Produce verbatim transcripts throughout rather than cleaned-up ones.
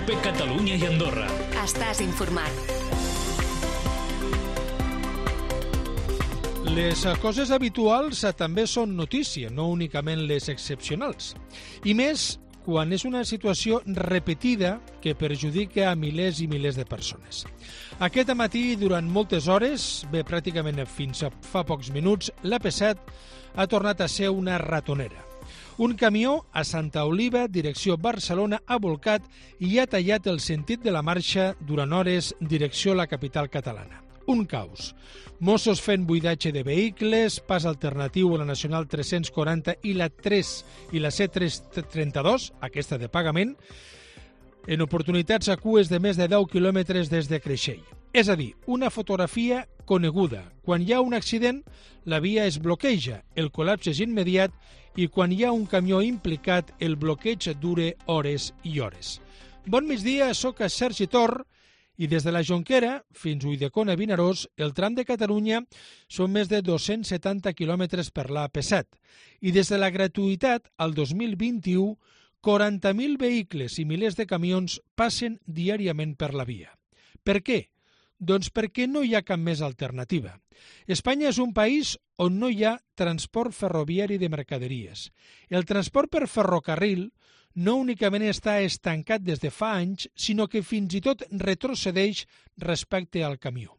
COPE Catalunya i Andorra. Estàs informat. Les coses habituals també són notícia, no únicament les excepcionals. I més quan és una situació repetida que perjudica a milers i milers de persones. Aquest matí, durant moltes hores, bé, pràcticament fins a fa pocs minuts, l'A P set ha tornat a ser una ratonera. Un camió a Santa Oliva, direcció Barcelona, ha volcat i ha tallat el sentit de la marxa durant hores direcció a la capital catalana. Un caos. Mossos fent buidatge de vehicles, pas alternatiu a la Nacional tres-cents quaranta i la tres i la C tres-cents trenta-dos, aquesta de pagament, en oportunitats a cues de més de deu quilòmetres des de Creixell. És a dir, una fotografia coneguda. Quan hi ha un accident, la via es bloqueja, el col·lapse és immediat i quan hi ha un camió implicat, el bloqueig dura hores i hores. Bon migdia, soc a Sergi Tor i des de la Jonquera fins a Ulldecona Vinaròs, el tram de Catalunya són més de dos-cents setanta quilòmetres per l'A P set i des de la gratuïtat al dos mil vint-i-u, quaranta mil vehicles i milers de camions passen diàriament per la via. Per què? Doncs perquè no hi ha cap més alternativa. Espanya és un país on no hi ha transport ferroviari de mercaderies. El transport per ferrocarril no únicament està estancat des de fa anys, sinó que fins i tot retrocedeix respecte al camió.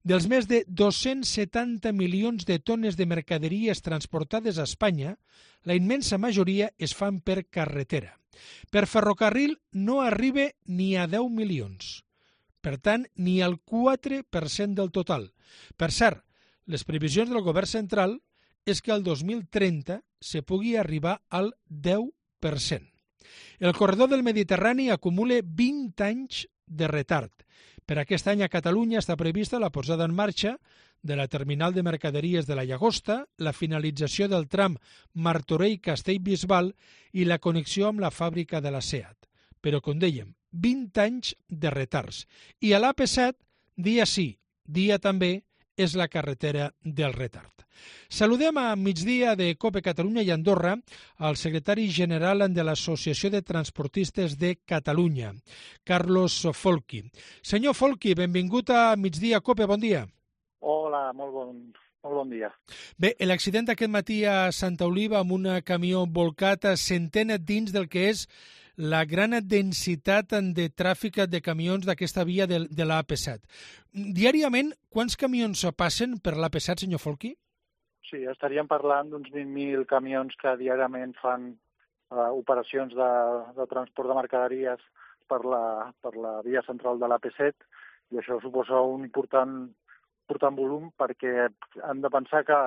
Dels més de dos-cents setanta milions de tones de mercaderies transportades a Espanya, la immensa majoria es fan per carretera. Per ferrocarril no arriba ni a deu milions. Per tant, ni al quatre per cent del total. Per cert, les previsions del govern central és que el dos mil trenta se pugui arribar al deu per cent. El corredor del Mediterrani acumula vint anys de retard. Per aquest any a Catalunya està prevista la posada en marxa de la terminal de mercaderies de la Llagosta, la finalització del tram Martorell-Castellbisbal i la connexió amb la fàbrica de la SEAT. Però, com dèiem, vint anys de retards. I a l'A P set, dia sí, dia també, és la carretera del retard. Saludem a migdia de COPE Catalunya i Andorra al secretari general de l'Associació de Transportistes de Catalunya, Carlos Folchi. Senyor Folchi, benvingut a migdia COPE, bon dia. Hola, molt bon, molt bon dia. Bé, l'accident d'aquest matí a Santa Oliva amb un camió volcat s'entén dins del que és la gran densitat de tràfic de camions d'aquesta via de, de l'A P set. Diàriament, quants camions passen per l'A P set, senyor Folchi? Sí, estaríem parlant d'uns vint mil camions que diàriament fan uh, operacions de, de transport de mercaderies per la, per la via central de l'A P set i això suposa un important, important volum perquè hem de pensar que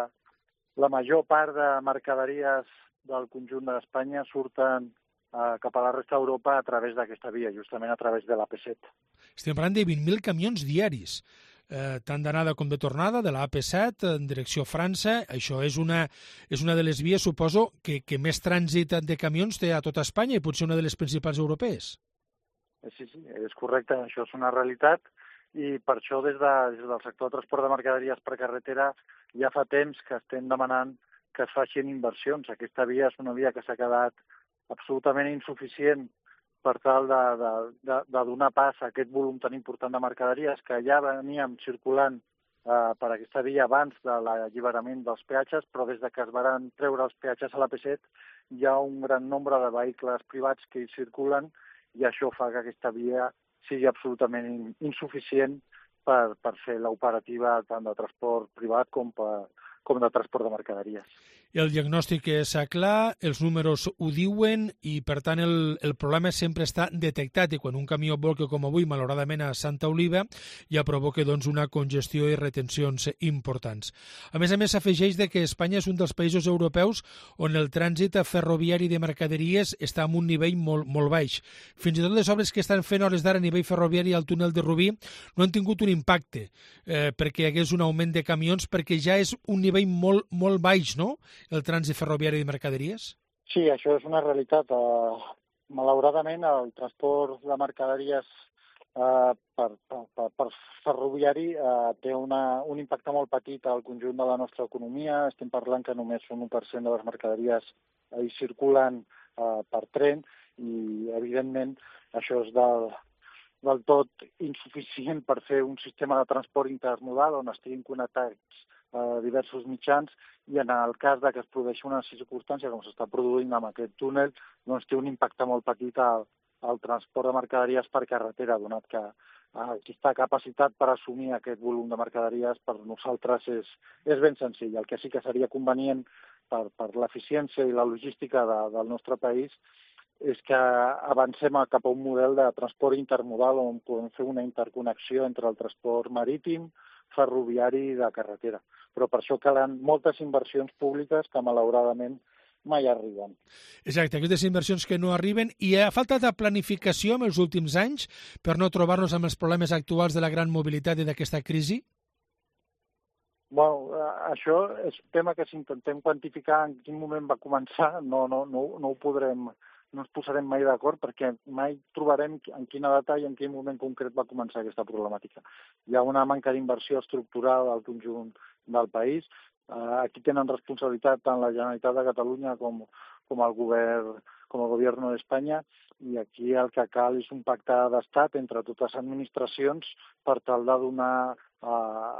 la major part de mercaderies del conjunt d'Espanya surten Uh, cap a la resta d'Europa a través d'aquesta via, justament a través de l'A P set. Estem parlant de vint mil camions diaris, eh, tant d'anada com de tornada, de l'A P set en direcció a França. Això és una, és una de les vies, suposo, que, que més trànsit de camions té a tota Espanya i potser una de les principals europees. Sí, sí, és correcte, això és una realitat i per això des, de, des del sector de transport de mercaderies per carretera ja fa temps que estem demanant que es facin inversions. Aquesta via és una via que s'ha quedat absolutament insuficient per tal de, de, de, de donar pas a aquest volum tan important de mercaderies que ja veníem circulant eh, per aquesta via abans de l'alliberament dels peatges, però des de que es van treure els peatges a l'A P set hi ha un gran nombre de vehicles privats que hi circulen i això fa que aquesta via sigui absolutament insuficient per, per fer l'operativa tant de transport privat com per com de transport de mercaderies. El diagnòstic és clar, els números ho diuen i, per tant, el, el problema sempre està detectat i quan un camió volca com avui, malauradament, a Santa Oliva, ja provoca doncs, una congestió i retencions importants. A més a més, s'afegeix que Espanya és un dels països europeus on el trànsit ferroviari de mercaderies està en un nivell molt, molt baix. Fins i tot les obres que estan fent hores d'ara a nivell ferroviari al túnel de Rubí no han tingut un impacte eh, perquè hi hagués un augment de camions, perquè ja és un nivell molt, molt baix, no?, el trànsit ferroviari de mercaderies? Sí, això és una realitat. Uh, malauradament, el transport de mercaderies uh, per, per, per ferroviari uh, té una, un impacte molt petit al conjunt de la nostra economia. Estem parlant que només un u per cent de les mercaderies hi circulen uh, per tren i, evidentment, això és del, del tot insuficient per fer un sistema de transport intermodal on estiguin connectats eh, diversos mitjans, i en el cas de que es produeixi una circumstància com s'està produint amb aquest túnel, doncs té un impacte molt petit al, al transport de mercaderies per carretera, donat que eh, aquesta capacitat per assumir aquest volum de mercaderies per nosaltres és, és ben senzill. El que sí que seria convenient per, per l'eficiència i la logística de, del nostre país és que avancem cap a un model de transport intermodal on podem fer una interconnexió entre el transport marítim, ferroviari i de carretera. Però per això calen moltes inversions públiques que malauradament mai arriben. Exacte, aquestes inversions que no arriben, i ha faltat de planificació en els últims anys per no trobar-nos amb els problemes actuals de la gran mobilitat i d'aquesta crisi? Bueno, això és un tema que si intentem quantificar en quin moment va començar, no, no, no, no ho podrem, no ens posarem mai d'acord perquè mai trobarem en quina data i en quin moment concret va començar aquesta problemàtica. Hi ha una manca d'inversió estructural al conjunt del país. Aquí tenen responsabilitat tant la Generalitat de Catalunya com, com el govern, com el govern d'Espanya, i aquí el que cal és un pacte d'estat entre totes les administracions per tal de donar eh,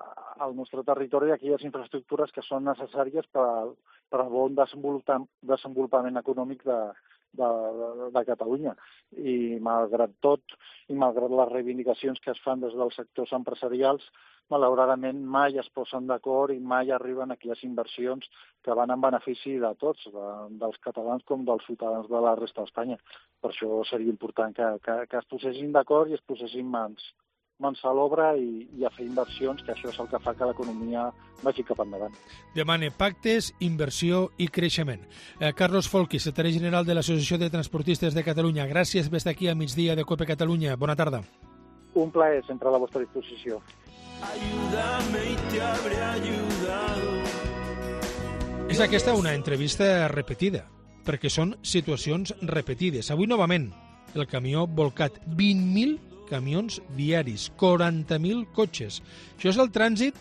al nostre territori aquelles infraestructures que són necessàries per, per al bon desenvolupament econòmic de, de, de, de Catalunya. I malgrat tot, i malgrat les reivindicacions que es fan des dels sectors empresarials, malauradament mai es posen d'acord i mai arriben a aquelles inversions que van en benefici de tots, de, dels catalans com dels ciutadans de la resta d'Espanya. Per això seria important que, que, que es posessin d'acord i es posessin mans, mans a l'obra i, i a fer inversions, que això és el que fa que l'economia vagi cap endavant. Demane pactes, inversió i creixement. Eh, Carlos Folchi, secretari general de l'Associació de Transportistes de Catalunya. Gràcies per estar aquí a migdia de COPE Catalunya. Bona tarda. Un plaer, sempre a la vostra disposició. Ayúdame y te habré ayudado. És aquesta una entrevista repetida, perquè són situacions repetides. Avui, novament, el camió volcat. vint mil camions diaris, quaranta mil cotxes. Això és el trànsit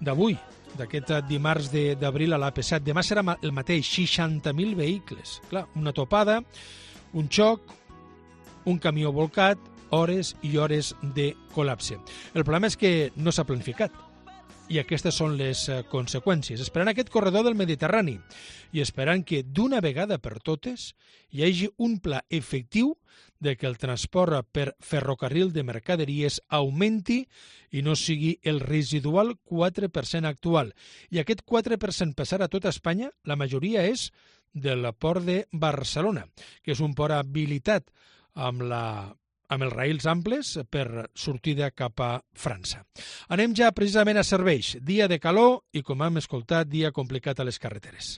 d'avui, d'aquest dimarts d'abril a l'A P set. Demà serà el mateix, seixanta mil vehicles. Clar, una topada, un xoc, un camió volcat, hores i hores de col·lapse. El problema és que no s'ha planificat i aquestes són les conseqüències. Esperant aquest corredor del Mediterrani i esperant que d'una vegada per totes hi hagi un pla efectiu de que el transport per ferrocarril de mercaderies augmenti i no sigui el residual quatre per cent actual. I aquest quatre per cent passar a tota Espanya, la majoria és del port de Barcelona, que és un port habilitat amb la amb els raïls amples per sortida cap a França. Anem ja precisament a serveis. Dia de calor i, com hem escoltat, dia complicat a les carreteres.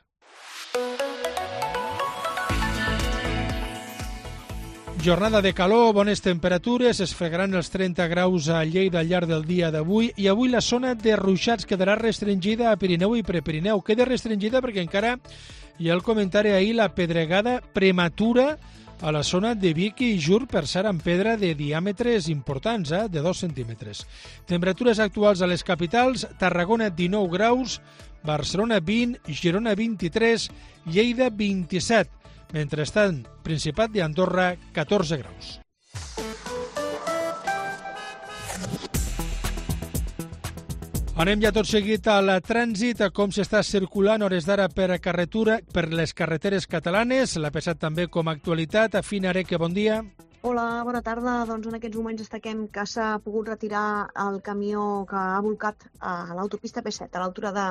Jornada de calor, bones temperatures, es fregaran els trenta graus a Lleida al llarg del dia d'avui i avui la zona de ruixats quedarà restringida a Pirineu i Prepirineu. Queda restringida perquè encara hi ha el comentari ahir, la pedregada prematura a la zona de Vic i Jur per ser amb pedra de diàmetres importants, eh, de dos centímetres. Temperatures actuals a les capitals: Tarragona dinou graus, Barcelona vint, Girona vint-i-tres, Lleida vint-i-set. Mentrestant, Principat d'Andorra catorze graus. Anem ja tot seguit al trànsit, a com s'està circulant hores d'ara per carretura, per les carreteres catalanes, l'A P set també com a actualitat. Fina Areque, bon dia. Hola, bona tarda. Doncs en aquests moments destaquem que s'ha pogut retirar el camió que ha volcat a l'autopista P set, a l'altura de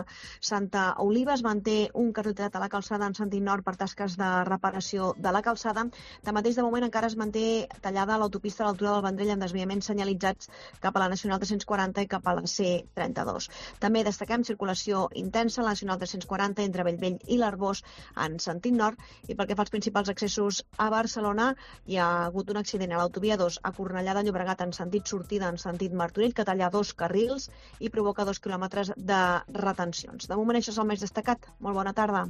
Santa Oliva. Es manté un carril a la calçada en sentit nord per tasques de reparació de la calçada. Tanmateix, de moment encara es manté tallada l'autopista a l'altura del Vendrell amb desviaments senyalitzats cap a la Nacional tres-cents quaranta i cap a la C trenta-dos. També destaquem circulació intensa a la Nacional tres-cents quaranta entre Bellvei i l'Arbós en sentit nord, i pel que fa als principals accessos a Barcelona hi ha hagut un accident a l'autovia dos a Cornellà de Llobregat en sentit sortida en sentit Martorell, que talla dos carrils i provoca dos quilòmetres de retencions. De moment això és el més destacat. Molt bona tarda.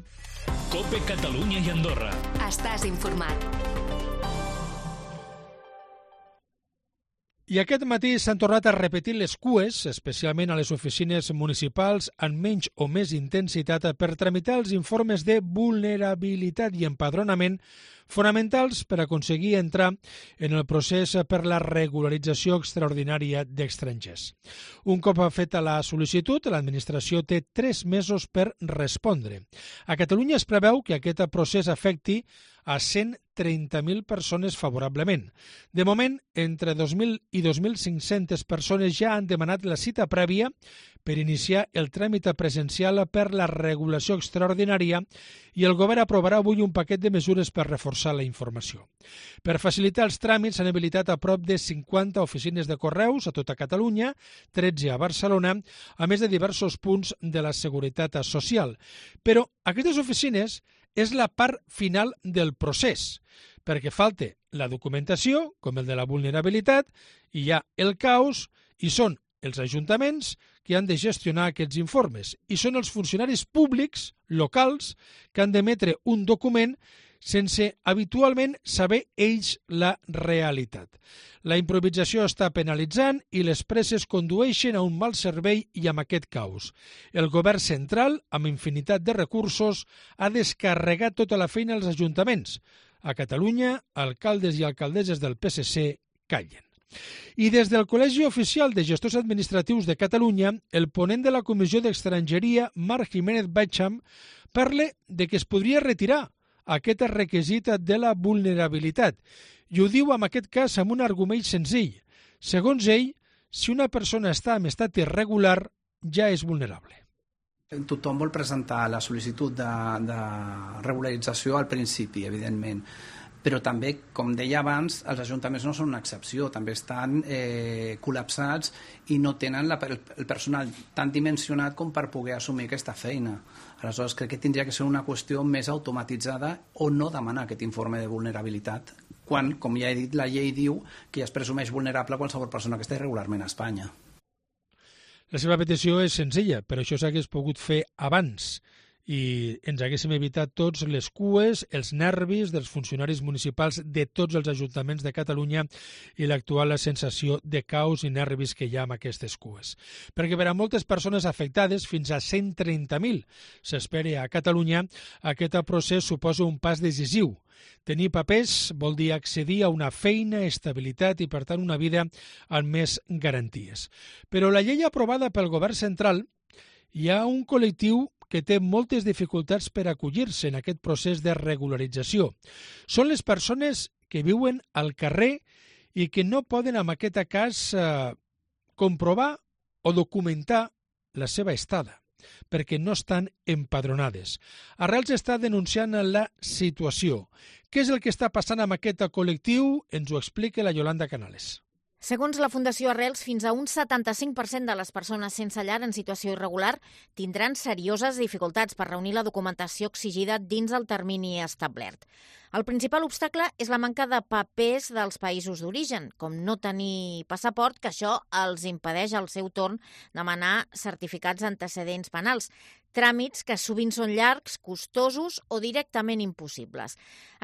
COPE Catalunya i Andorra. Estàs informat. I aquest matí s'han tornat a repetir les cues, especialment a les oficines municipals, amb menys o més intensitat per tramitar els informes de vulnerabilitat i empadronament fonamentals per aconseguir entrar en el procés per la regularització extraordinària d'estrangers. Un cop feta la sol·licitud, l'administració té tres mesos per respondre. A Catalunya es preveu que aquest procés afecti a cent trenta mil persones favorablement. De moment, entre dos mil i dos mil cinc-centes persones ja han demanat la cita prèvia per iniciar el tràmit presencial per la regulació extraordinària i el govern aprovarà avui un paquet de mesures per reforçar la informació. Per facilitar els tràmits s'han habilitat a prop de cinquanta oficines de correus a tota Catalunya, tretze a Barcelona, a més de diversos punts de la Seguretat Social. Però aquestes oficines és la part final del procés, perquè falta la documentació, com el de la vulnerabilitat, i hi ha el caos, i són els ajuntaments que han de gestionar aquests informes, i són els funcionaris públics locals que han d'emetre un document sense habitualment saber ells la realitat. La improvisació està penalitzant i les presses condueixen a un mal servei i amb aquest caos. El govern central, amb infinitat de recursos, ha descarregat tota la feina als ajuntaments. A Catalunya, alcaldes i alcaldesses del P S C callen. I des del Col·legi Oficial de Gestors Administratius de Catalunya, el ponent de la Comissió d'Estrangeria, Marc Jiménez Bacham, parla de que es podria retirar aquest requisit de la vulnerabilitat. I ho diu en aquest cas amb un argument senzill. Segons ell, si una persona està en estat irregular, ja és vulnerable. Tothom vol presentar la sol·licitud de, de regularització al principi, evidentment. Però també, com deia abans, els ajuntaments no són una excepció, també estan eh, col·lapsats i no tenen la, el, el personal tan dimensionat com per poder assumir aquesta feina. Aleshores, crec que tindria que ser una qüestió més automatitzada o no demanar aquest informe de vulnerabilitat, quan, com ja he dit, la llei diu que ja es presumeix vulnerable qualsevol persona que està irregularment a Espanya. La seva petició és senzilla, però això s'hagués pogut fer abans i ens haguéssim evitat tots les cues, els nervis dels funcionaris municipals de tots els ajuntaments de Catalunya i l'actual sensació de caos i nervis que hi ha amb aquestes cues. Perquè per a moltes persones afectades, fins a cent trenta mil s'espera a Catalunya, aquest procés suposa un pas decisiu. Tenir papers vol dir accedir a una feina, estabilitat i, per tant, una vida amb més garanties. Però la llei aprovada pel govern central, hi ha un col·lectiu que té moltes dificultats per acollir-se en aquest procés de regularització. Són les persones que viuen al carrer i que no poden, en aquest cas, eh, comprovar o documentar la seva estada, perquè no estan empadronades. Arrels està denunciant la situació. Què és el que està passant amb aquest col·lectiu? Ens ho explica la Yolanda Canales. Segons la Fundació Arrels, fins a un setanta-cinc per cent de les persones sense llar en situació irregular tindran serioses dificultats per reunir la documentació exigida dins el termini establert. El principal obstacle és la manca de papers dels països d'origen, com no tenir passaport, que això els impedeix al seu torn demanar certificats d'antecedents penals, tràmits que sovint són llargs, costosos o directament impossibles.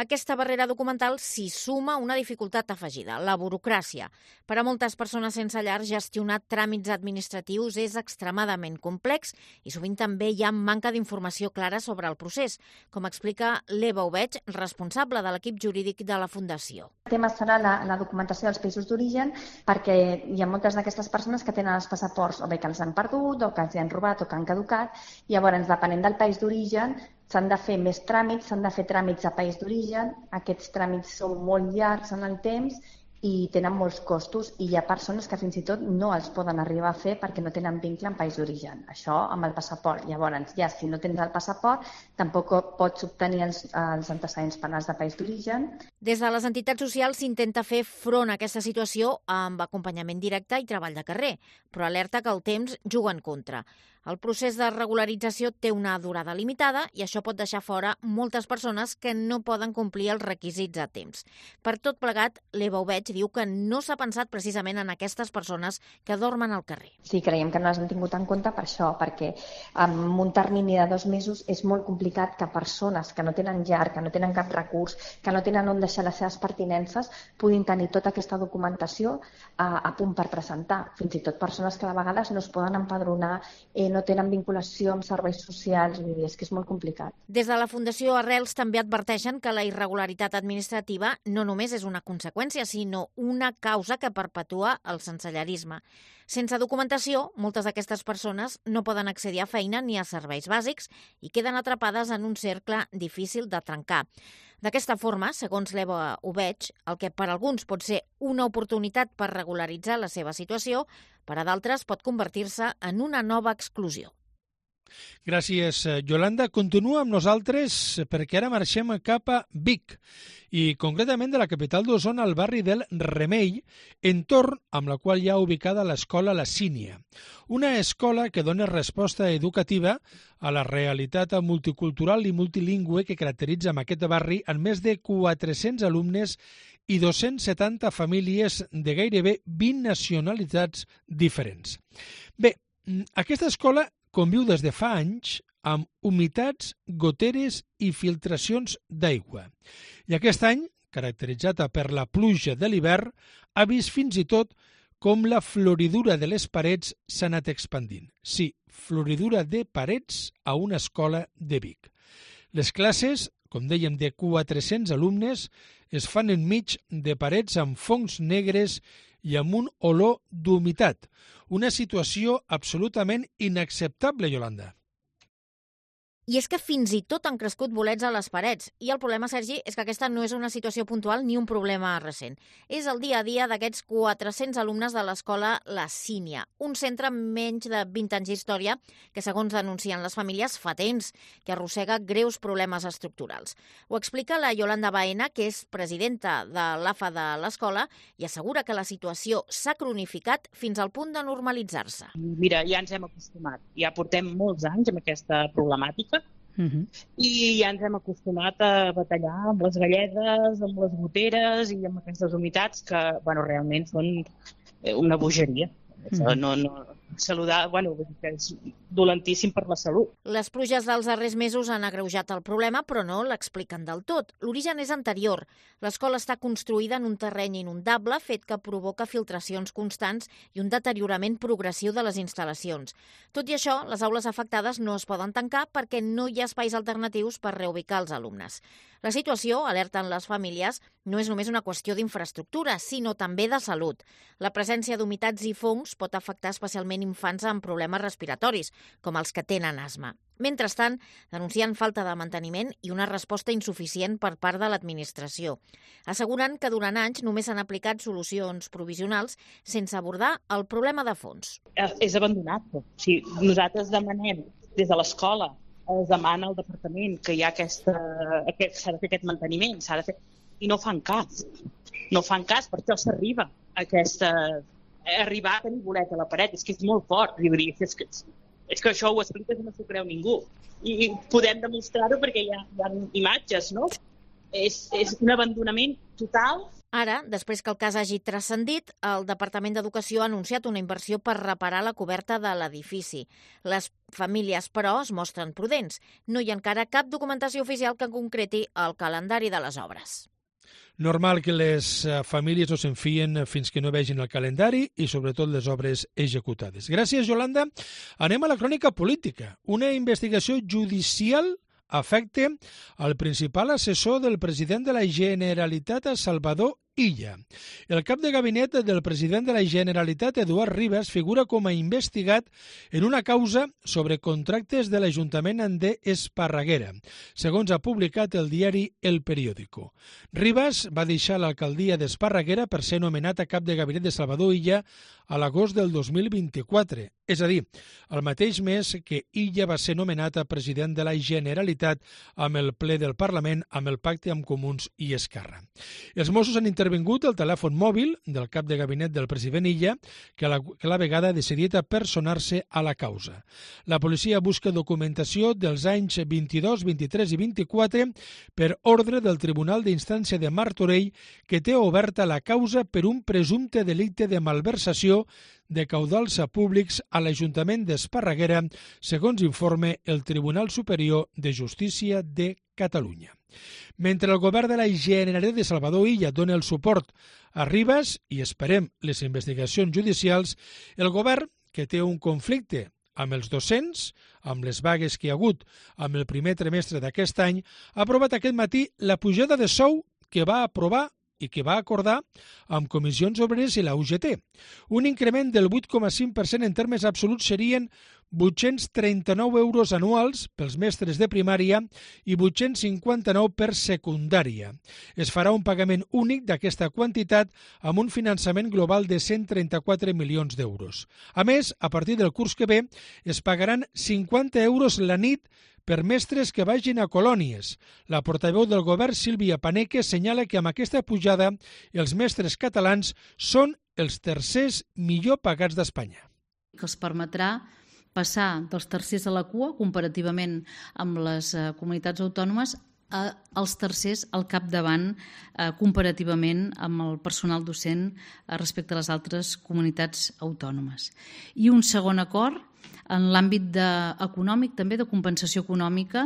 Aquesta barrera documental s'hi suma una dificultat afegida, la burocràcia. Per a moltes persones sense llar, gestionar tràmits administratius és extremadament complex i sovint també hi ha manca d'informació clara sobre el procés, com explica l'Eva Oveig, responsable de l'equip jurídic de la Fundació. El tema serà la, la documentació dels països d'origen, perquè hi ha moltes d'aquestes persones que tenen els passaports o bé que els han perdut o que els han robat o que han caducat. Llavors, depenent del país d'origen, s'han de fer més tràmits, s'han de fer tràmits a país d'origen. Aquests tràmits són molt llargs en el temps i tenen molts costos i hi ha persones que fins i tot no els poden arribar a fer perquè no tenen vincle en país d'origen. Això amb el passaport. Llavors, ja si no tens el passaport, tampoc pots obtenir els, els antecedents penals de país d'origen. Des de les entitats socials s'intenta fer front a aquesta situació amb acompanyament directe i treball de carrer, però alerta que el temps juga en contra. El procés de regularització té una durada limitada i això pot deixar fora moltes persones que no poden complir els requisits a temps. Per tot plegat, l'Eva Obeig diu que no s'ha pensat precisament en aquestes persones que dormen al carrer. Sí, creiem que no les han tingut en compte per això, perquè en un termini de dos mesos és molt complicat que persones que no tenen llar, que no tenen cap recurs, que no tenen on deixar les seves pertinences, puguin tenir tota aquesta documentació a, a punt per presentar. Fins i tot persones que de vegades no es poden empadronar, eh, no tenen vinculació amb serveis socials, vull dir, és que és molt complicat. Des de la Fundació Arrels també adverteixen que la irregularitat administrativa no només és una conseqüència, sinó una causa que perpetua el sensellarisme. Sense documentació, moltes d'aquestes persones no poden accedir a feina ni a serveis bàsics i queden atrapades en un cercle difícil de trencar. D'aquesta forma, segons l'Eva Obeig, el que per alguns pot ser una oportunitat per regularitzar la seva situació, per a d'altres pot convertir-se en una nova exclusió. Gràcies, Yolanda. Continua amb nosaltres perquè ara marxem cap a Vic i concretament de la capital d'Osona al barri del Remei, entorn amb la qual hi ha ubicada l'escola La Sínia, una escola que dona resposta educativa a la realitat multicultural i multilingüe que caracteritza amb aquest barri amb més de quatre-cents alumnes i dos-cents setanta famílies de gairebé vint nacionalitats diferents. Bé, aquesta escola conviu des de fa anys amb humitats, goteres i filtracions d'aigua. I aquest any, caracteritzada per la pluja de l'hivern, ha vist fins i tot com la floridura de les parets s'ha anat expandint. Sí, floridura de parets a una escola de Vic. Les classes, com dèiem, de quatre-cents alumnes, es fan enmig de parets amb fongs negres i amb un olor d'humitat. Una situació absolutament inacceptable, Yolanda. I és que fins i tot han crescut bolets a les parets. I el problema, Sergi, és que aquesta no és una situació puntual ni un problema recent. És el dia a dia d'aquests quatre-cents alumnes de l'escola La Sínia, un centre amb menys de vint anys d'història que, segons denuncien les famílies, fa temps que arrossega greus problemes estructurals. Ho explica la Yolanda Baena, que és presidenta de l'A F A de l'escola, i assegura que la situació s'ha cronificat fins al punt de normalitzar-se. Mira, ja ens hem acostumat. Ja portem molts anys amb aquesta problemàtica. Uh-huh. I ja ens hem acostumat a batallar amb les galledes, amb les goteres i amb aquestes humitats que, bueno, realment són una bogeria. Uh-huh. No, no, saludar, bueno, que és dolentíssim per la salut. Les pluges dels darrers mesos han agreujat el problema, però no l'expliquen del tot. L'origen és anterior. L'escola està construïda en un terreny inundable, fet que provoca filtracions constants i un deteriorament progressiu de les instal·lacions. Tot i això, les aules afectades no es poden tancar perquè no hi ha espais alternatius per reubicar els alumnes. La situació, alerten les famílies, no és només una qüestió d'infraestructura, sinó també de salut. La presència d'humitats i fongs pot afectar especialment infants amb problemes respiratoris, com els que tenen asma. Mentrestant, denuncien falta de manteniment i una resposta insuficient per part de l'administració. Asseguren que durant anys només s'han aplicat solucions provisionals sense abordar el problema de fons. És abandonat. O sigui, nosaltres demanem des de l'escola, es demana al departament que hi ha aquesta, aquest, s'ha de fer aquest manteniment, s'ha de fer, i no fan cas. No fan cas, per això s'arriba a aquesta... arribar a tenir bolet a la paret, és que és molt fort. És que, és que això ho expliques i no s'ho creu ningú. I podem demostrar-ho perquè hi ha, hi ha imatges, no? És, és un abandonament total. Ara, després que el cas hagi transcendit, el Departament d'Educació ha anunciat una inversió per reparar la coberta de l'edifici. Les famílies, però, es mostren prudents. No hi ha encara cap documentació oficial que concreti el calendari de les obres. Normal que les famílies no s'enfien fins que no vegin el calendari i, sobretot, les obres executades. Gràcies, Yolanda. Anem a la crònica política. Una investigació judicial afecta al principal assessor del president de la Generalitat, Salvador Illa. El cap de gabinet del president de la Generalitat, Eduard Rivas, figura com a investigat en una causa sobre contractes de l'Ajuntament d'Esparreguera, segons ha publicat el diari El Periódico. Rivas va deixar l'alcaldia d'Esparreguera per ser nomenat a cap de gabinet de Salvador Illa a l'agost del dos mil vint-i-quatre, és a dir, el mateix mes que Illa va ser nomenat a president de la Generalitat amb el ple del Parlament amb el pacte amb Comuns i Esquerra. Els Mossos han intervingut el telèfon mòbil del cap de gabinet del president Illa, que a la, que a la vegada ha decidit a personar-se a la causa. La policia busca documentació dels anys vint-i-dos, vint-i-tres i vint-i-quatre per ordre del Tribunal d'Instància de Martorell, que té oberta la causa per un presumpte delicte de malversació de caudals públics a l'Ajuntament d'Esparreguera, segons informe el Tribunal Superior de Justícia de Catalunya. Mentre el govern de la Generalitat de Salvador Illa dona el suport a Ribas i esperem les investigacions judicials, el govern, que té un conflicte amb els docents, amb les vagues que hi ha hagut amb el primer trimestre d'aquest any, ha aprovat aquest matí la pujada de sou que va aprovar i que va acordar amb Comissions Obreres i la U G T. Un increment del vuit coma cinc per cent en termes absoluts serien vuit-cents trenta-nou euros anuals pels mestres de primària i vuit-cents cinquanta-nou per secundària. Es farà un pagament únic d'aquesta quantitat amb un finançament global de cent trenta-quatre milions d'euros. A més, a partir del curs que ve, es pagaran cinquanta euros la nit per mestres que vagin a colònies. La portaveu del govern, Sílvia Paneque, senyala que amb aquesta pujada els mestres catalans són els tercers millor pagats d'Espanya. Que els permetrà passar dels tercers a la cua, comparativament amb les eh, comunitats autònomes, a, als tercers al capdavant eh, comparativament amb el personal docent eh, respecte a les altres comunitats autònomes. I un segon acord en l'àmbit de, econòmic, també de compensació econòmica,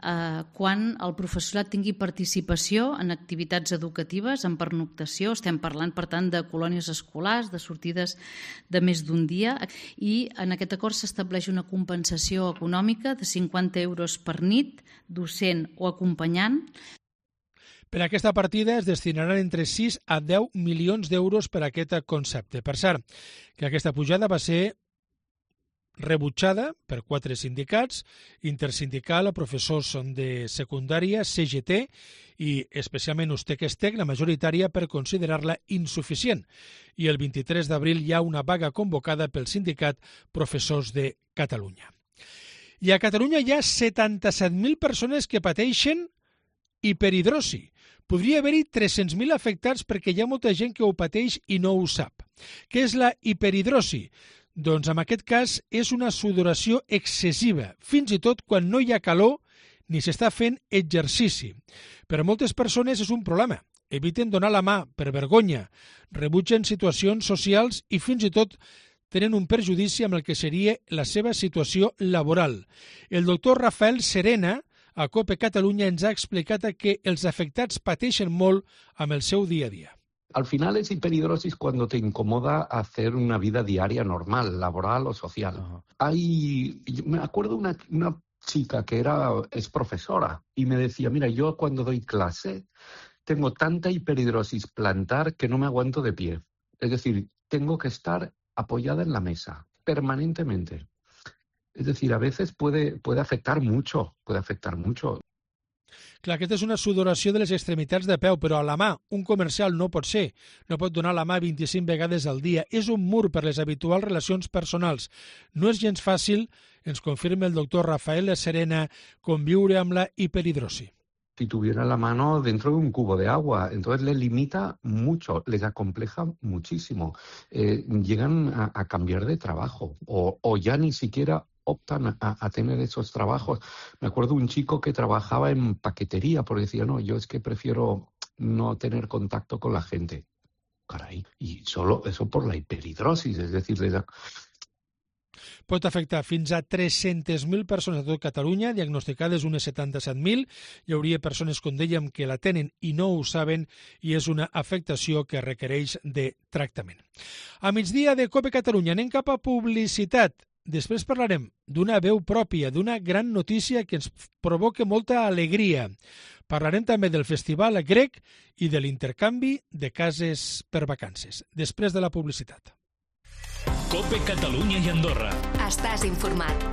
eh, quan el professorat tingui participació en activitats educatives, en pernoctació, estem parlant, per tant, de colònies escolars, de sortides de més d'un dia, i en aquest acord s'estableix una compensació econòmica de cinquanta euros per nit, docent o acompanyant. Per a aquesta partida es destinaran entre sis a deu milions d'euros per a aquest concepte. Per cert, que aquesta pujada va ser rebutjada per quatre sindicats, Intersindical, Professors de Secundària, C G T i especialment Ustec-Estec, la majoritària, per considerar-la insuficient. I el vint-i-tres d'abril hi ha una vaga convocada pel sindicat Professors de Catalunya. I a Catalunya hi ha setanta-set mil persones que pateixen hiperhidrosi. Podria haver-hi tres-cents mil afectats perquè hi ha molta gent que ho pateix i no ho sap. Què és la hiperhidrosi? Doncs en aquest cas és una sudoració excessiva, fins i tot quan no hi ha calor ni s'està fent exercici. Per a moltes persones és un problema. Eviten donar la mà per vergonya, rebutgen situacions socials i fins i tot tenen un perjudici amb el que seria la seva situació laboral. El doctor Rafael Serena, a COPE Catalunya, ens ha explicat que els afectats pateixen molt amb el seu dia a dia. Al final es hiperhidrosis cuando te incomoda hacer una vida diaria normal, laboral o social. Uh-huh. Hay, me acuerdo una, una chica que era, es profesora y me decía, mira, yo cuando doy clase tengo tanta hiperhidrosis plantar que no me aguanto de pie. Es decir, tengo que estar apoyada en la mesa permanentemente. Es decir, a veces puede, puede afectar mucho, puede afectar mucho. Clar, aquesta és una sudoració de les extremitats de peu, però a la mà un comercial no pot ser. No pot donar la mà vint-i-cinc vegades al dia. És un mur per les habituals relacions personals. No és gens fàcil, ens confirma el doctor Rafael Serena, conviure amb la hiperhidrosi. Si tuviera la mano dentro de un cubo de agua, entonces les limita mucho, les acompleja muchísimo. Eh, llegan a, a cambiar de trabajo o, o ya ni siquiera optan a, a tener esos trabajos. Me acuerdo un chico que trabajaba en paquetería porque decía, no, yo es que prefiero no tener contacto con la gente. Caray, y solo eso por la hiperhidrosis, es decir, de la... Pot afectar fins a tres-centes mil persones a tot Catalunya, diagnosticades unes setanta-set mil. Hi hauria persones, com dèiem, que la tenen i no ho saben, i és una afectació que requereix de tractament. A migdia de COPE Catalunya anem cap a publicitat. Després parlarem d'una veu pròpia, d'una gran notícia que ens provoca molta alegria. Parlarem també del Festival Grec i de l'intercanvi de cases per vacances. Després de la publicitat. COPE Catalunya i Andorra. Estàs informat.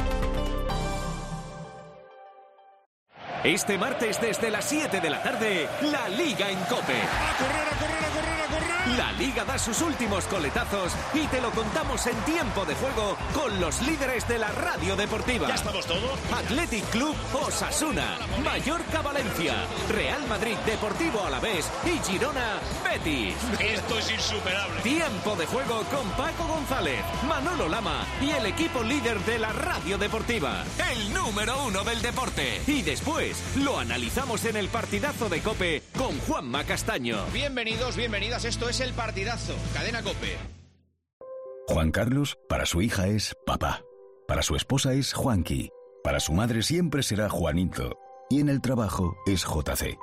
Este martes desde las siete de la tarde, la Liga en COPE. ¡A correr, a correr, a correr, a correr! La Liga da sus últimos coletazos y te lo contamos en tiempo de juego con los líderes de la radio deportiva. ¿Ya estamos todos? Athletic Club Osasuna, Mallorca Valencia, Real Madrid Deportivo Alavés y Girona Betis. Esto es insuperable. Tiempo de juego con Paco González, Manolo Lama y el equipo líder de la radio deportiva. El número uno del deporte. Y después lo analizamos en el partidazo de COPE con Juanma Castaño. Bienvenidos, bienvenidas, esto es El Partidazo, Cadena COPE. Juan Carlos, para su hija es papá. Para su esposa es Juanqui. Para su madre siempre será Juanito. Y en el trabajo es J C.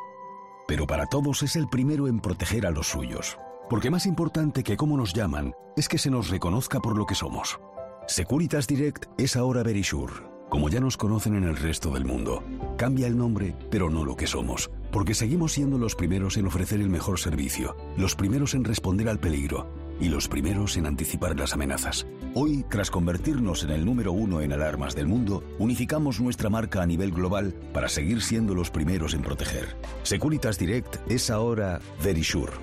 Pero para todos es el primero en proteger a los suyos. Porque más importante que cómo nos llaman es que se nos reconozca por lo que somos. Securitas Direct es ahora Verisure, como ya nos conocen en el resto del mundo. Cambia el nombre, pero no lo que somos, porque seguimos siendo los primeros en ofrecer el mejor servicio, los primeros en responder al peligro y los primeros en anticipar las amenazas. Hoy, tras convertirnos en el número uno en alarmas del mundo, unificamos nuestra marca a nivel global para seguir siendo los primeros en proteger. Securitas Direct es ahora Verisure,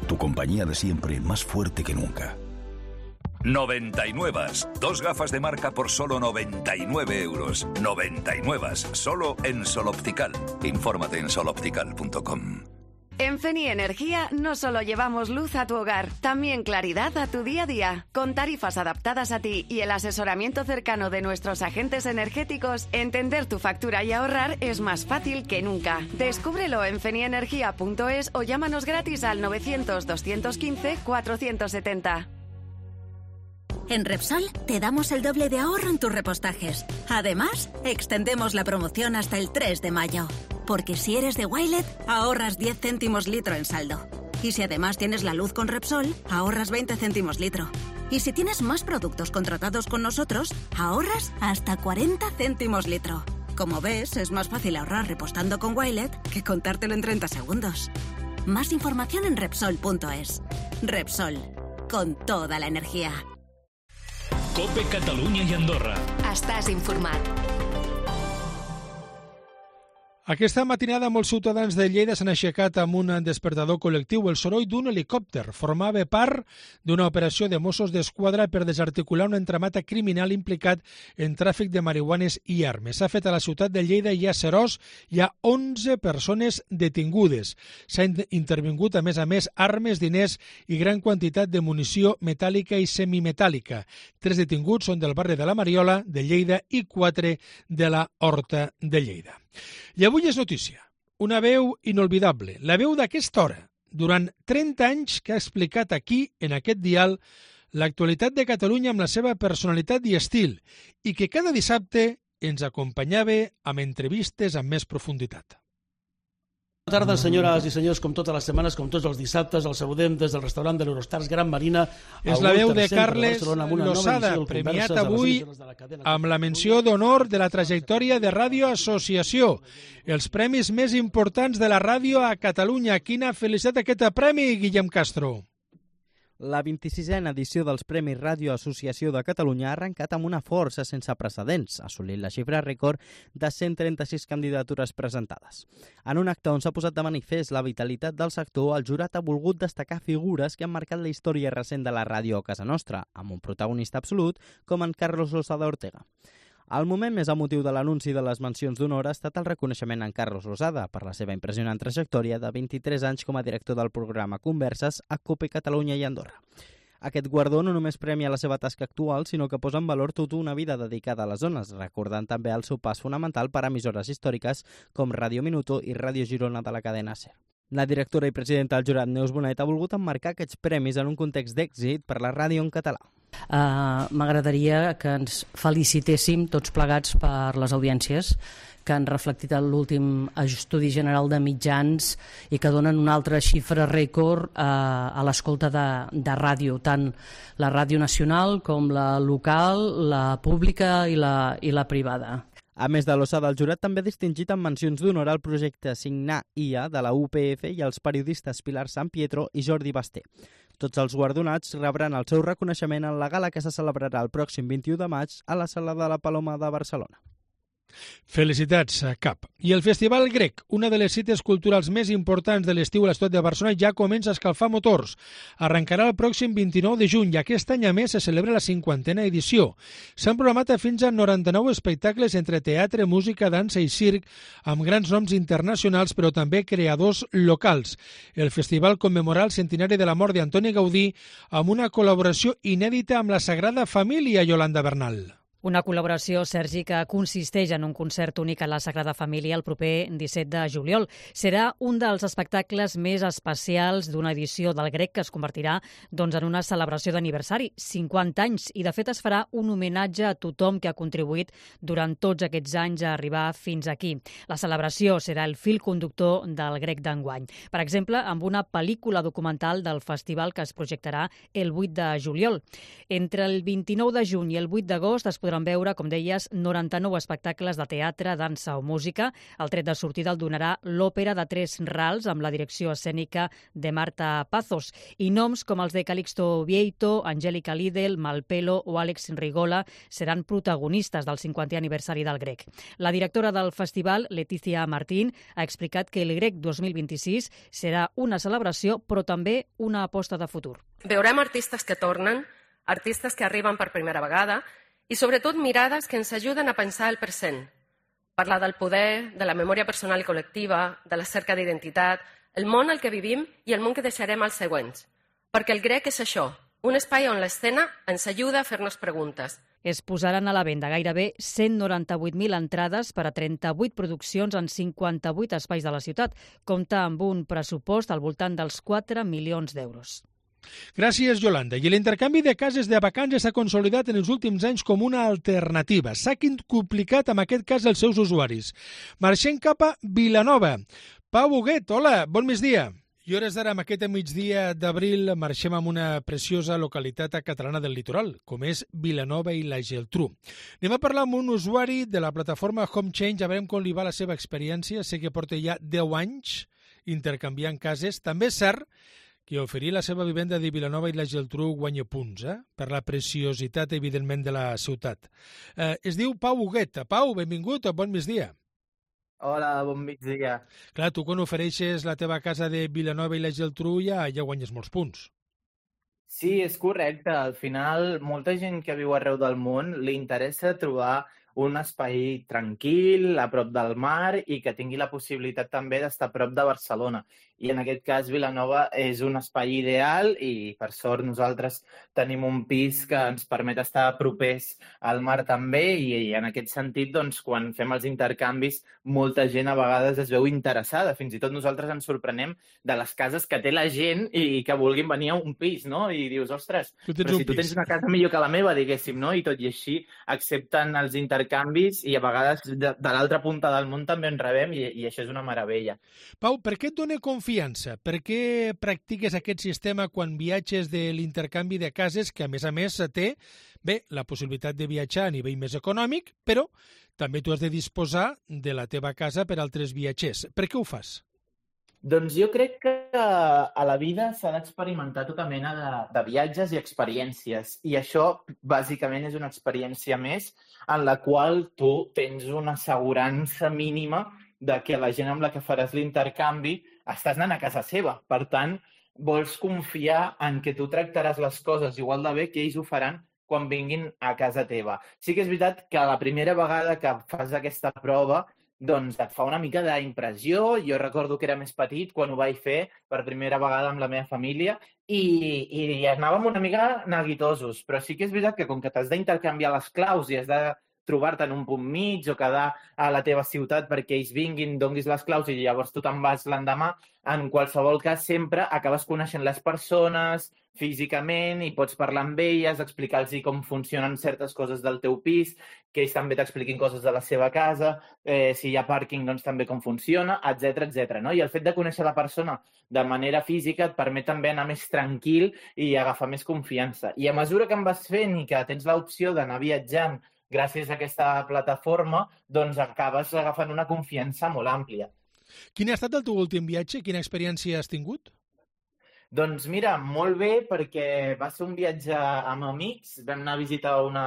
tu compañía de siempre más fuerte que nunca. noventa y nueve. Dos gafas de marca por solo noventa y nueve euros. noventa y nueve. Solo en Sol Optical. Infórmate en sol optical punto com. En Feni Energía no solo llevamos luz a tu hogar, también claridad a tu día a día. Con tarifas adaptadas a ti y el asesoramiento cercano de nuestros agentes energéticos, entender tu factura y ahorrar es más fácil que nunca. Descúbrelo en fenienergia punto es o llámanos gratis al novecientos, doscientos quince, cuatrocientos setenta. En Repsol te damos el doble de ahorro en tus repostajes. Además, extendemos la promoción hasta el tres de mayo. Porque si eres de Wilet, ahorras diez céntimos litro en saldo. Y si además tienes la luz con Repsol, ahorras veinte céntimos litro. Y si tienes más productos contratados con nosotros, ahorras hasta cuarenta céntimos litro. Como ves, es más fácil ahorrar repostando con Wilet que contártelo en treinta segundos. Más información en Repsol punto es. Repsol, con toda la energía. COPE Catalunya i Andorra. Estàs informat. Aquesta matinada molts ciutadans de Lleida s'han aixecat amb un despertador col·lectiu. El soroll d'un helicòpter formava part d'una operació de Mossos d'Esquadra per desarticular un entramat criminal implicat en tràfic de marihuanes i armes. S'ha fet a la ciutat de Lleida i a Seròs. Hi ha onze persones detingudes. S'ha intervingut, a més a més, armes, diners i gran quantitat de munició metàl·lica i semimetàl·lica. Tres detinguts són del barri de la Mariola, de Lleida, i quatre de la Horta de Lleida. I avui és notícia, una veu inolvidable, la veu d'aquesta hora, durant trenta anys que ha explicat aquí, en aquest dial, l'actualitat de Catalunya amb la seva personalitat i estil, i que cada dissabte ens acompanyava amb entrevistes amb més profunditat. Bona tarda, senyores i senyors, com totes les setmanes, com tots els dissabtes, el saludem des del restaurant de l'Eurostars Gran Marina. És la veu de Carles Losada, premiat avui amb la menció d'honor de la trajectòria de Ràdio Associació. Els premis més importants de la ràdio a Catalunya. Quina felicitat aquest premi, Guillem Castro. La vint-i-sisena edició dels Premis Ràdio Associació de Catalunya ha arrencat amb una força sense precedents, assolint la xifra rècord de cent trenta-sis candidatures presentades. En un acte on s'ha posat de manifest la vitalitat del sector, el jurat ha volgut destacar figures que han marcat la història recent de la ràdio a casa nostra, amb un protagonista absolut com en Carlos Losada Ortega. El moment més emotiu de l'anunci de les mencions d'honor ha estat el reconeixement en Carlos Losada per la seva impressionant trajectòria de vint-i-tres anys com a director del programa Converses a COPE Catalunya i Andorra. Aquest guardó no només premia la seva tasca actual, sinó que posa en valor tota una vida dedicada a les zones, recordant també el seu pas fonamental per a emissores històriques com Ràdio Minuto i Ràdio Girona de la cadena SER. La directora i presidenta del jurat, Neus Bonet, ha volgut emmarcar aquests premis en un context d'èxit per la ràdio en català. Uh, M'agradaria que ens felicitéssim tots plegats per les audiències que han reflectit l'últim estudi general de mitjans i que donen una altra xifra rècord uh, a l'escolta de, de ràdio, tant la ràdio nacional com la local, la pública i la, i la privada. A més de Losada, el jurat també ha distingit amb mencions d'honor al projecte Signar I A de la U P F i els periodistes Pilar San Pietro i Jordi Basté. Tots els guardonats rebran el seu reconeixement en la gala que se celebrarà el pròxim vint-i-u de maig a la Sala de la Paloma de Barcelona. Felicitats, Cap. I el Festival Grec, una de les cites culturals més importants de l'estiu a la ciutat de Barcelona, ja comença a escalfar motors. Arrencarà el pròxim vint-i-nou de juny i aquest any a més se celebra la cinquantena edició. S'han programat fins a noranta-nou espectacles entre teatre, música, dansa i circ, amb grans noms internacionals però també creadors locals. El festival commemorarà el centenari de la mort d'Antoni Gaudí amb una col·laboració inèdita amb la Sagrada Família, Yolanda Bernal. Una col·laboració, Sergi, que consisteix en un concert únic a la Sagrada Família el proper disset de juliol. Serà un dels espectacles més especials d'una edició del Grec que es convertirà doncs, en una celebració d'aniversari, cinquanta anys, i de fet es farà un homenatge a tothom que ha contribuït durant tots aquests anys a arribar fins aquí. La celebració serà el fil conductor del Grec d'enguany. Per exemple, amb una pel·lícula documental del festival que es projectarà el vuit de juliol. Entre el vint-i-nou de juny i el vuit d'agost es podran veure, com deies, noranta-nou espectacles de teatre, dansa o música. El tret de sortida el donarà l'Òpera de Tres Rals amb la direcció escènica de Marta Pazos. I noms com els de Calixto Vieito, Angélica Lidl, Malpelo o Àlex Rigola seran protagonistes del cinquantè aniversari del Grec. La directora del festival, Leticia Martín, ha explicat que el Grec dos mil vint-i-sis serà una celebració però també una aposta de futur. Veurem artistes que tornen, artistes que arriben per primera vegada i sobretot mirades que ens ajuden a pensar el present. Parlar del poder, de la memòria personal i col·lectiva, de la cerca d'identitat, el món al que vivim i el món que deixarem als següents. Perquè el Grec és això, un espai on l'escena ens ajuda a fer-nos preguntes. Es posaran a la venda gairebé cent noranta-vuit mil entrades per a trenta-vuit produccions en cinquanta-vuit espais de la ciutat. Compta amb un pressupost al voltant dels quatre milions d'euros. Gràcies, Yolanda. I l'intercanvi de cases de vacances s'ha consolidat en els últims anys com una alternativa. S'ha quintuplicat, en aquest cas, els seus usuaris. Marxem cap a Vilanova. Pau Huguet, hola, bon migdia. I hores d'ara, amb aquest migdia d'abril, marxem amb una preciosa localitat catalana del litoral, com és Vilanova i la Geltrú. Anem a parlar amb un usuari de la plataforma Home Change, a veure com li va la seva experiència. Sé que porta ja deu anys intercanviant cases. També és cert que oferir la seva vivenda de Vilanova i la Geltrú guanya punts, eh? Per la preciositat, evidentment, de la ciutat. Eh, es diu Pau Huguet. Pau, benvingut, bon migdia. Hola, bon migdia. Clar, tu quan ofereixes la teva casa de Vilanova i la Geltrú ja, ja guanyes molts punts. Sí, és correcte. Al final, molta gent que viu arreu del món li interessa trobar un espai tranquil, a prop del mar i que tingui la possibilitat també d'estar a prop de Barcelona. I en aquest cas Vilanova és un espai ideal i per sort nosaltres tenim un pis que ens permet estar propers al mar també i, i en aquest sentit doncs, quan fem els intercanvis molta gent a vegades es veu interessada. Fins i tot nosaltres ens sorprenem de les cases que té la gent i que vulguin venir a un pis, no? I dius, ostres, però si tu tens una casa millor que la meva, diguéssim, no? I tot i així accepten els intercanvis i a vegades de, de l'altra punta del món també en rebem i, i això és una meravella. Pau, per què et dona confiança? Per què practiques aquest sistema quan viatges de l'intercanvi de cases que, a més a més, té bé la possibilitat de viatjar a nivell més econòmic, però també tu has de disposar de la teva casa per altres viatgers. Per què ho fas? Doncs jo crec que a la vida s'ha d'experimentar tota mena de, de viatges i experiències i això bàsicament és una experiència més en la qual tu tens una assegurança mínima de que la gent amb la que faràs l'intercanvi estàs anant a casa seva. Per tant, vols confiar en que tu tractaràs les coses igual de bé que ells ho faran quan vinguin a casa teva. Sí que és veritat que la primera vegada que fas aquesta prova doncs et fa una mica d'impressió. Jo recordo que era més petit quan ho vaig fer per primera vegada amb la meva família i, i anàvem una mica neguitosos, però sí que és veritat que com que t'has d'intercanviar les claus i has de trobar-te en un punt mig o quedar a la teva ciutat perquè ells vinguin, donguis les claus i llavors tu te'n vas l'endemà, en qualsevol cas sempre acabes coneixent les persones físicament i pots parlar amb elles, explicar-los com funcionen certes coses del teu pis, que ells també t'expliquin coses de la seva casa, eh, si hi ha pàrquing, doncs també com funciona, etcètera, etcètera. No? I el fet de conèixer la persona de manera física et permet també anar més tranquil i agafar més confiança. I a mesura que en vas fent i que tens l'opció d'anar viatjant gràcies a aquesta plataforma, doncs acabes agafant una confiança molt àmplia. Quin ha estat el teu últim viatge? Quina experiència has tingut? Doncs mira, molt bé, perquè va ser un viatge amb amics. Vam anar a visitar una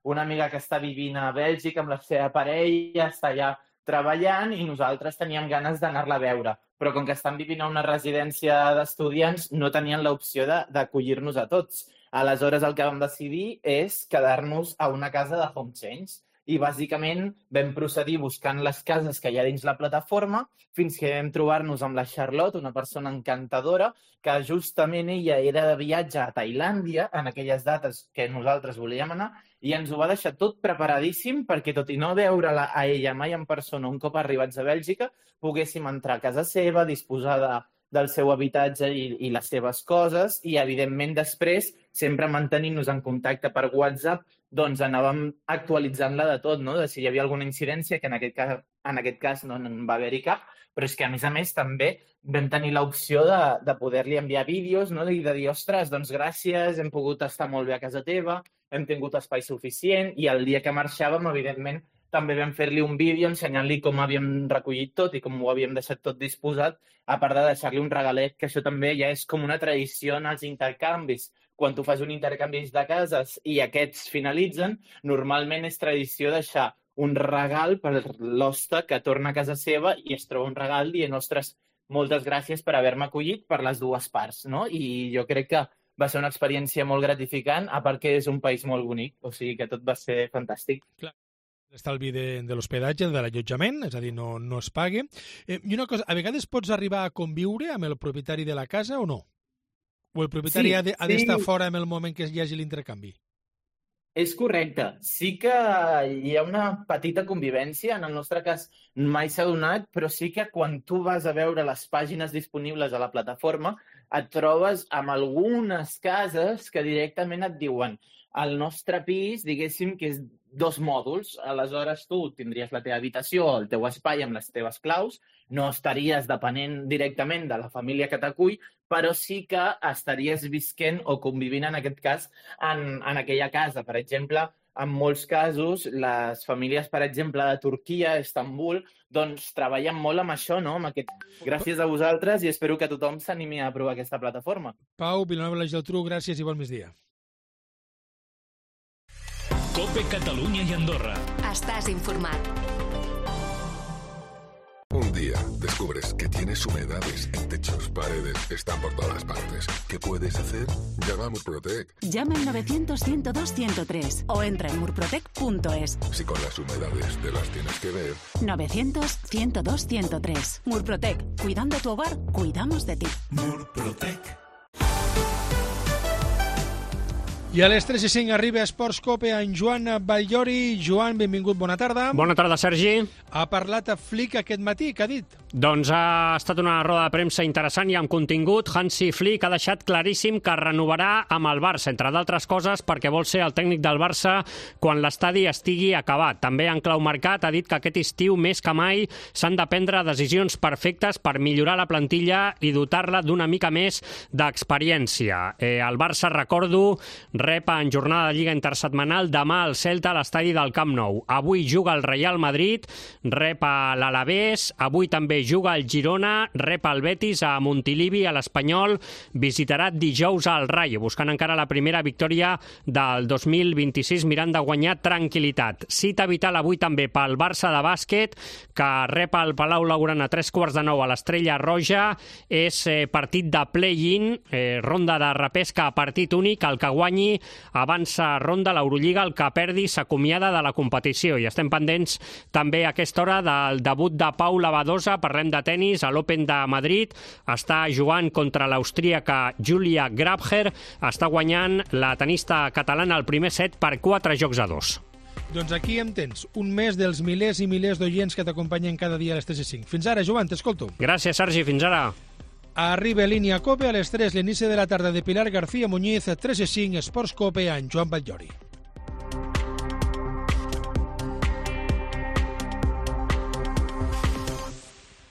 una amiga que està vivint a Bèlgica amb la seva parella, està allà treballant i nosaltres teníem ganes d'anar-la a veure. Però com que estan vivint a una residència d'estudiants, no tenien l'opció d'acollir-nos a tots. Aleshores, el que vam decidir és quedar-nos a una casa de home change. I, bàsicament, vam procedir buscant les cases que hi ha dins la plataforma fins que vam trobar-nos amb la Charlotte, una persona encantadora, que justament ella era de viatge a Tailàndia en aquelles dates que nosaltres volíem anar i ens ho va deixar tot preparadíssim perquè, tot i no veure-la a ella mai en persona un cop arribats a Bèlgica, poguéssim entrar a casa seva, disposar de, del seu habitatge i, i les seves coses i, evidentment, després, sempre mantenint-nos en contacte per WhatsApp, doncs anàvem actualitzant-la de tot, no? De si hi havia alguna incidència, que en aquest cas, en aquest cas no en va haver-hi cap, però és que, a més a més, també vam tenir l'opció de, de poder-li enviar vídeos, no? I de dir, ostres, doncs gràcies, hem pogut estar molt bé a casa teva, hem tingut espai suficient, i el dia que marxàvem, evidentment, també vam fer-li un vídeo ensenyant-li com havíem recollit tot i com ho havíem deixat tot disposat, a part de deixar-li un regalet, que això també ja és com una tradició en els intercanvis. Quan tu fas un intercanvi de cases i aquests finalitzen, normalment és tradició deixar un regal per l'hoste que torna a casa seva i es troba un regal dient, ostres, moltes gràcies per haver-me acollit per les dues parts, no? I jo crec que va ser una experiència molt gratificant, a part que és un país molt bonic, o sigui que tot va ser fantàstic. Clar. L'estalvi de, de l'hospedatge, de l'allotjament, és a dir, no, no es pague. Eh, I una cosa, a vegades pots arribar a conviure amb el propietari de la casa o no? O el propietari sí, ha d'estar sí. fora en el moment que hi hagi l'intercanvi? És correcte. Sí que hi ha una petita convivència. En el nostre cas mai s'ha donat, però sí que quan tu vas a veure les pàgines disponibles a la plataforma et trobes amb algunes cases que directament et diuen el nostre pis, diguéssim, que és dos mòduls, aleshores tu tindries la teva habitació, el teu espai amb les teves claus, no estaries depenent directament de la família que t'acull, però sí que estaries visquent o convivint, en aquest cas, en, en aquella casa. Per exemple, en molts casos, les famílies, per exemple, de Turquia, Istanbul, doncs treballen molt amb això, no? Amb aquest... Gràcies a vosaltres i espero que tothom s'animi a provar aquesta plataforma. Pau, Vilanova i la Geltrú, gràcies i bon migdia. COPE Catalunya y Andorra. Estás informado. Un día descubres que tienes humedades en techos, paredes, están por todas partes. ¿Qué puedes hacer? Llama a Murprotec. Llama al novecientos, ciento dos, ciento tres o entra en murprotec punto es. Si con las humedades te las tienes que ver. novecientos, ciento dos, ciento tres. Murprotec. Cuidando tu hogar, cuidamos de ti. Murprotec. I a les tres i cinc arriba a Esports Cope en Joan Batllori. Joan, benvingut, bona tarda. Bona tarda, Sergi. Ha parlat a Flick aquest matí, què ha dit? Doncs ha estat una roda de premsa interessant i amb contingut. Hansi Flick ha deixat claríssim que renovarà amb el Barça, entre d'altres coses perquè vol ser el tècnic del Barça quan l'estadi estigui acabat. També en clau mercat ha dit que aquest estiu més que mai s'han de prendre decisions perfectes per millorar la plantilla i dotar-la d'una mica més d'experiència. Eh, el Barça, recordo, rep en jornada de Lliga intersetmanal demà al Celta a l'estadi del Camp Nou. Avui juga el Real Madrid, rep a l'Alavés, avui també juga el Girona, rep el Betis a Montilivi, a l'Espanyol, visitarà dijous al Rayo, buscant encara la primera victòria del dos mil vint-i-sis, mirant de guanyar tranquil·litat. Cita vital avui també pel Barça de bàsquet, que rep el Palau Blaugrana a tres quarts de nou a l'Estrella Roja. És eh, partit de play-in, eh, ronda de repesca a partit únic, el que guanyi avança ronda l'Eurolliga, el que perdi s'acomiada de la competició. I estem pendents també a aquesta hora del debut de Paula Badosa. Parlem de tennis a l'Open de Madrid. Està jugant contra l'austríaca Julia Grabher. Està guanyant la tenista catalana el primer set per quatre jocs a dos. Doncs aquí em tens, un mes dels milers i milers d'oients que t'acompanyen cada dia a les tres i cinc. Fins ara, Joan, t'escolto. Gràcies, Sergi, fins ara. Arriba línia Cope a les tres, l'inici de la tarda de Pilar García Muñiz, tres i cinc, Esports Cope, en Joan Batllori.